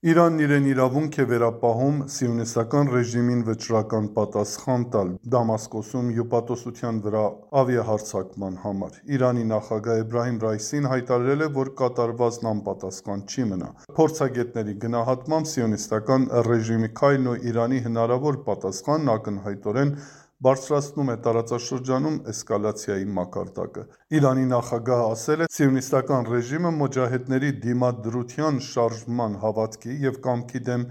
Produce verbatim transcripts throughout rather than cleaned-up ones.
Իրանն իրեն իրավունք է վերապահում սիոնիստական ռեժիմին վճռական պատասխան տալ Դամասկոսում հյուպատոսության վրա ավիահարձակման համար։ Իրանի նախագահ Էբրահիմ Ռայիսին հայտարարել է, որ կատարվածն անպատասխան չի մնա։ Փորձագետների գնահատմամբ սիոնիստական ռեժիմի քայլն ու Իրանի հնարավոր պատասխանն ակնհայտորեն բարձրացնում է տարածաշրջանում էսկալացիայի մակարդակը։ Իրանի նախագահը ասել է. «Սիոնիստական ռեժիմը մոջահեդների դիմադրության շարժման հավատքի և կամքի դեմ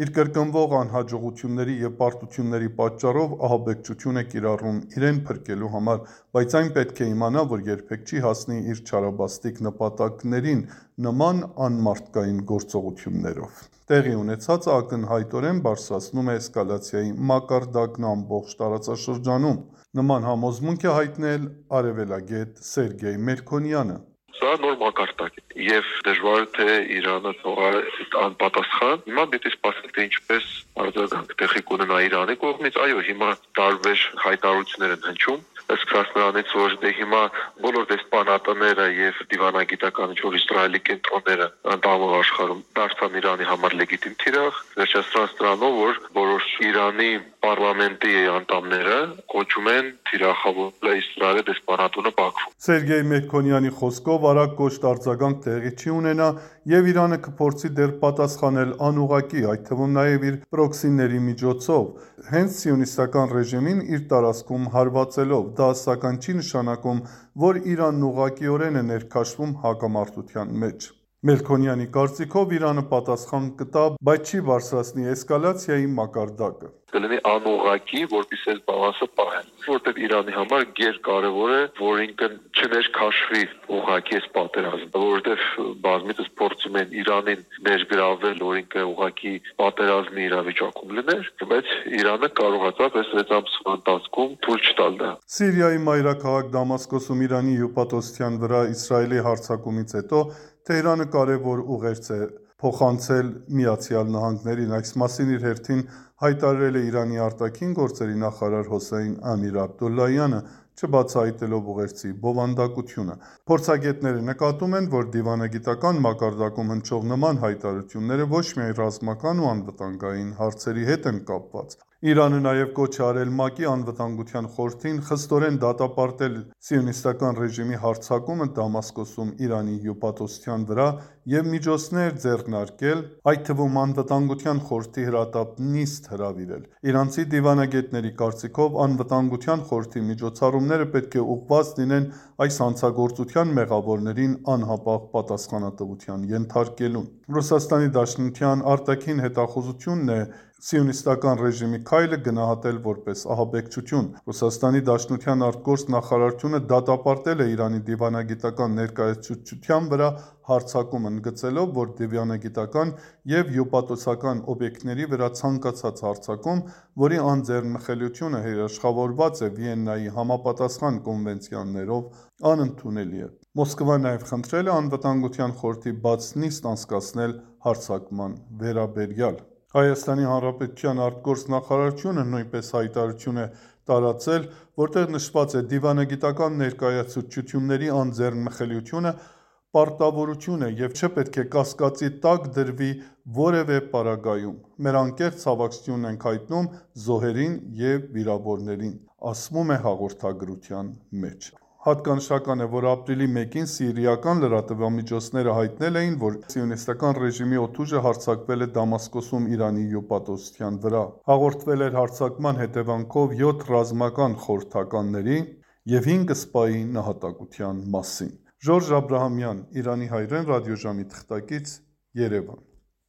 իր կրկնվող անհաջողությունների և պարտությունների պատճառով ահաբեկչություն է կիրառում իրեն փրկելու համար, բայց այն պետք է իմանա, որ երբեք չի հասնի իր չարաբաստիկ նպատակներին նման անմարդկային գործողություններով»։ Տեղի ունեցածը ակնհայտորեն բարձրացնում է էսկալացիայի մակարդակն ամբողջ տարածաշրջանում։ Նման համոզմունք է հայտնել արևելագետ Սերգեյ Մելքոնյանը։ Սա նոր մակարդակ է և դժվար թե Իրանը թողա անպատասխան։ Հիմա պետք է սպասենք, թե ինչպես արձագանք տեղի կունենա Իրանի կողմից։ Այո, հիմա տարբեր հայտարարություններ են հնչում, սկսած նրանից, որ դե հիմա բոլոր դեսպանատները եւ դիվանագիտական ինչ-որ Իսրայելի կենտրոնները ընդհանուր աշխարհում դարձան Իրանի համար լեգիտիմ թիրախ, վերջացրած դրանով, որ որոշ Իրանի պարլամենտի անդամները կոչում են թիրախավորել Իսրայելի դեսպանատունը Բաքվում։ Սերգեյ Մելքոնյանի խոսքով արագ կոշտ արձագանք տեղի չի ունենա եւ Իրանը կփորձի դեռ պատասխանել անուղղակի, այդ թվում նաեւ իր պրոքսիների միջոցով, հենց սիոնիստական ռեժիմին իր տարածքում հարվածելով։ Դա սակայն չի նշանակում, որ Իրանն ուղղակիորեն է ներքաշվում հակամարտության մեջ։ Մելքոնյանի կարծիքով Իրանը պատասխան կտա, բայց չի բարձրացնի էսկալացիայի մակարդակը։ Կլինի անուղղակի, որպեսզի այս բալանսը պահեն, որտեղ Իրանի համար գերկարևոր է, որ ինքն չներքաշվի ուղղակի այս պատերազմը, որովհետև բազմիցս փորձում են Իրանին ներգրավել, որ ինքը ուղղակի պատերազմի իրավիճակում լիներ, բայց Իրանը կարողացավ այս վեց ամսվա ընթացքում թույլ չտալ դա։ Սիրիայի մայրաքաղաք Դամասկոսում Իրանի հյուպատոսության վրա Իսրայելի հարձակումից հետո Թեհրանը կարևոր ուղերձ է փոխանցել Միացյալ Նահանգներին։ Այս մասին իր հերթին հայտարարել է Իրանի արտաքին գործերի նախարար Հոսեյն Ամիր Աբդոլլահյանը, չբացահայտելով ուղերձի բովանդակությունը։ Փորձագետները նկատում են, որ դիվանագիտական մակարդակում հնչող նման հայտարարությունները ոչ միայն ռազմական ու անվտանգային հարցերի հետ են կապված։ Իրանը նաև կոչ է արել ՄԱԿ-ի Անվտանգության խորհրդին խստորեն դատապարտել սիոնիստական ռեժիմի հարձակումը Դամասկոսում Իրանի հյուպատոսության վրա և միջոցներ ձեռնարկել, այդ թվում Անվտանգության խորհրդի հրատապ նիստ հրավիրել։ Իրանցի դիվանագետների կարծիքով Անվտանգության խորհրդի միջոցառումները պետք է ուղղված լինեն այս հանցագործության մեղավորներին անհապաղ պատասխանատվության ենթարկելուն։ Ռուսաստանի Դաշնության արտաքին հետախուզությունն է սիոնիստական ռեժիմի քայլը գնահատել որպես ահաբեկչություն։ Ռուսաստանի Դաշնության արտգործնախարարությունը դատապարտել է Իրանի դիվանագիտական ներկայացուցչության վրա հարձակումը, ընդգծելով, որ դիվանագիտական և հյուպատոսական օբյեկտների վրա ցանկացած հարձակում, որի անձեռնմխելիությունը երաշխավորված է Վիեննայի համապատասխան կոնվենցիաներով, անընդունելի է։ Մոսկվան նաև խնդրել է Անվտանգության խորհրդի բաց նիստ անցկացնել հարձակման վերաբերյալ։ Հայաստանի Հանրապետության արտգործնախարարությունը նույնպես հայտարարություն է տարածել, որտեղ նշված է. «Դիվանագիտական ներկայացուցչությունների անձեռնմխելիությունը պարտավորություն է և չպետք է կասկածի տակ դրվի որևէ պարագայում։ Մեր անկեղծ ցավակցությունն ենք հայտնում զոհերին և վիրավորներին», ասվում է հաղորդագրության մեջ։ Հատկանշական է, որ ապրիլի մեկին սիրիական լրատվամիջոցները հայտնել էին, որ սիոնիստական ռեժիմի օդուժը հարձակվել է Դամասկոսում Իրանի հյուպատոսության վրա։ Հաղորդվել էր հարձակման հետևանքով յոթ ռազմական խորհրդականների և հինգ սպայի նահատակության մասին։ Ժորժ Աբրահամյան, Իրանի հայրեն ռադիոժամի թղթակից, Երևան։